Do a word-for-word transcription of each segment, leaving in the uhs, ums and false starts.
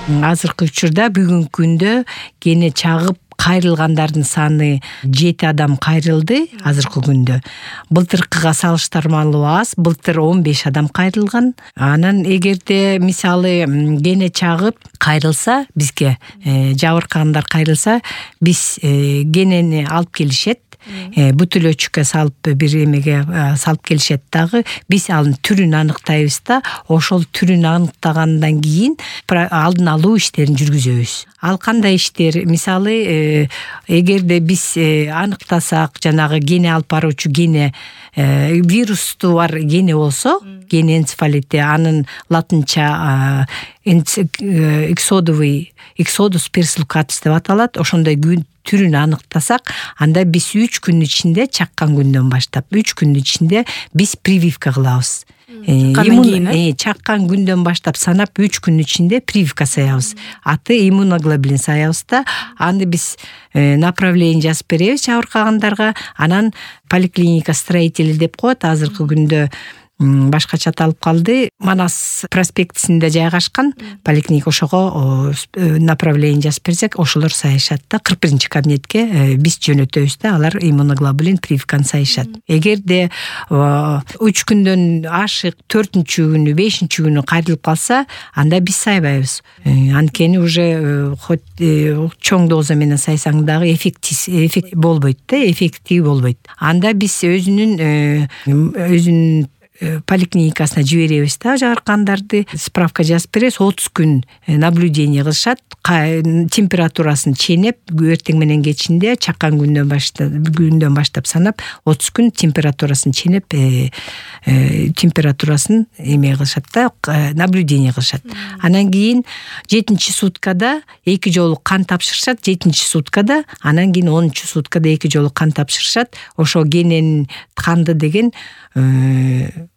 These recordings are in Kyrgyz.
азыркы учурда бүгүнкү күндө кене чагып кайрылгандардын саны жети адам кайрылды азыркы күндө. Былтыркыга салыштырмалуу аз, былтыр он беш адам кайрылган. Анан эгерде мисалы кене чагып кайрылса, бизге жабыркагандар кайрылса, биз кенени алып келишет. Бүтүлөчүккө салып бир эмеге салып келишет дагы. Биз анын түрүн аныктайбыз да, ошол түрүн аныктагандан кийин алдын алуу иштерин жүргүзөбүз. Ал кандай иштер? Мисалы, эгерде биз аныктасак, жанагы кене алып баруучу кене вирусту бар кене болсо, кене энцефалити, анын латынча эксодовый, эксодус персилкатус деп аталат. Ошондой түрүн аныктасак, анда биз үч күн ичинде, чаккан күндөн баштап үч күн ичинде биз прививка кылабыз. Чаккан күндөн баштап санап үч күн ичинде прививка саябыз. Аты иммуноглобулин саябыз да, аны биз направление жазып беребиз жабыркагандарга. Анан поликлиника строители деп коет, азыркы күндө башкача аталып калды. Манас проспектисинде жайгашкан поликлиника, ошого направление жазып берсек, ошолор сайышат да. кырк биринчи кабинетке биз жөнөтөбүз да, алар иммуноглобулин прививканы сайышат. Эгерде үч күндөн ашык төртүнчү күнү, бешинчи күнү кайрылып калса, анда биз сайбайбыз. Анткени уже хоть чоң доза менен сайсаң дагы эффектив болбойт да, эффектив болбойт. Анда биз өзүнүн өзүнүн поликлиникасына жиберебиз да жабыркандарды, справка жазып беребиз. отуз күн наблюдение кылышат, температурасын ченеп, эртең менен кечинде чаккан күндөн баштап күндөн баштап санап отуз күн температурасын ченеп, температурасын эме кылышат да, наблюдение кылышат. Анан кийин жетинчи суткада эки жолу кан тапшырышат, жетинчи суткада, анан кийин онунчу суткада эки жолу кан тапшырышат. Ошо кененин канды деген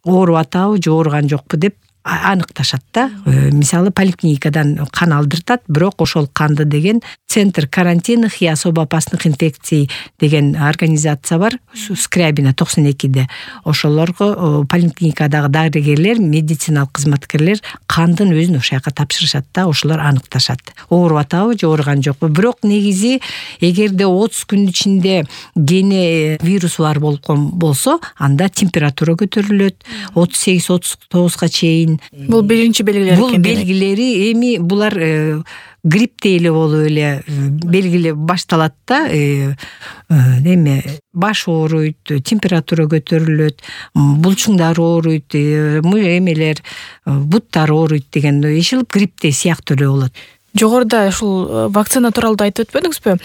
ооруп атабы же ооруган жокпу деп аныкташат да. Мисалы поликлиникадан кан алдыртат, бирок ошол канды деген Центр карантинных и особо опасных инфекций деген организация бар, Скрябина токсон экиде. Ошолорго поликлиникадагы дарыгерлер, медициналык кызматкерлер кандын өзүн ошол жака тапшырышат да, ошолор аныкташат. Ооруп атабы же ооруган жокпу. Бирок негизи эгерде отуз күн ичинде кене вирус бар болсо, анда температура көтөрүлөт, отуз сегиз отуз тогузга чейин. Бул биринчи белгилери экен. Бул белгилери эми булар грипптей эле болуп эле белгиле башталат да. Эме баш ооруйт, температура көтөрүлөт, булчуңдар ооруйт, эмелер, буттар ооруйт деген ишил грипптей сыяктуу эле болот. Жогоруда ушул вакцина тууралуу айтып өтпөдүңүзбү?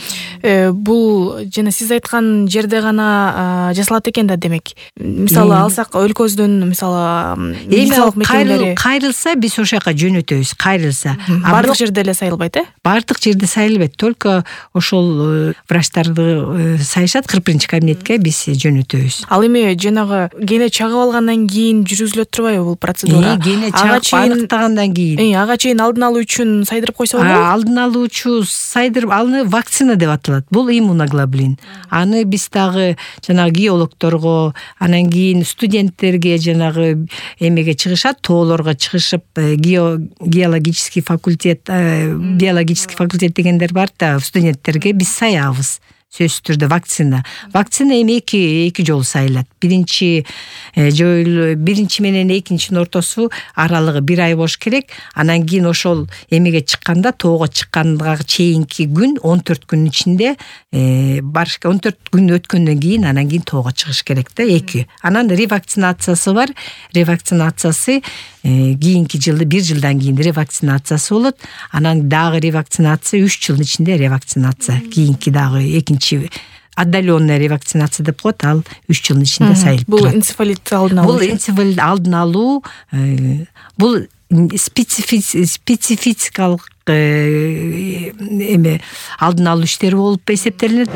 Бул жана сиз айткан жерде гана жасалат экен да, демек. Мисалы алсак өлкөбүздөн, мисалы медициналык мекемелери кайрылса, биз ошол жака жөнөтөбүз, кайрылса. Бардык жерде эле сайылбайт, э? Бардык жерде сайылбайт, только ошол врачтарды сайышат, кырк биринчи кабинетке биз жөнөтөбүз. Ал эми жанагы кене чагып алгандан кийин жүргүзүлөт турбайбы бул процедура? Кене чагып аныктагандан кийин. Ага чейин алдын алуу үчүн сайдырып койсо алдын алуучу сайдырып, аны вакцина деп аталат. Бул иммуноглобулин. Аны биз дагы жанагы геологторго, анан кийин студенттерге, жанагы эмеге чыгышат, тоолорго чыгышып, геологический факультет, биологический факультет дегендер бар да, студенттерге биз саябыз. Сөзсүз түрдө вакцина. Вакцина эми эки эки жолу сайылат. Биринчи жол, биринчи менен экинчинин ортосу аралыгы бир ай болуш керек. Анан кийин ошол эмеге чыкканда, тоого чыкканга чейинки күн он төрт күн ичинде барыш, он төрт күн өткөндөн кийин анан кийин тоого чыгыш керек да, эки. Анан ревакцинациясы бар. Ревакцинациясы кийинки жылды бир жылдан кийин ревакцинациясы болот. Анан дагы ревакцинация үч жылдын ичинде ревакцинация. Кийинки дагы экинчи отдаленная ревакцинация деп коет, ал үч жылдын ичинде сайылып турат. Бул энцефалит алдын алуу. Бул энцефалит алдын алуу, бул спецификалык эме алдын алуу иштери болуп эсептелинет.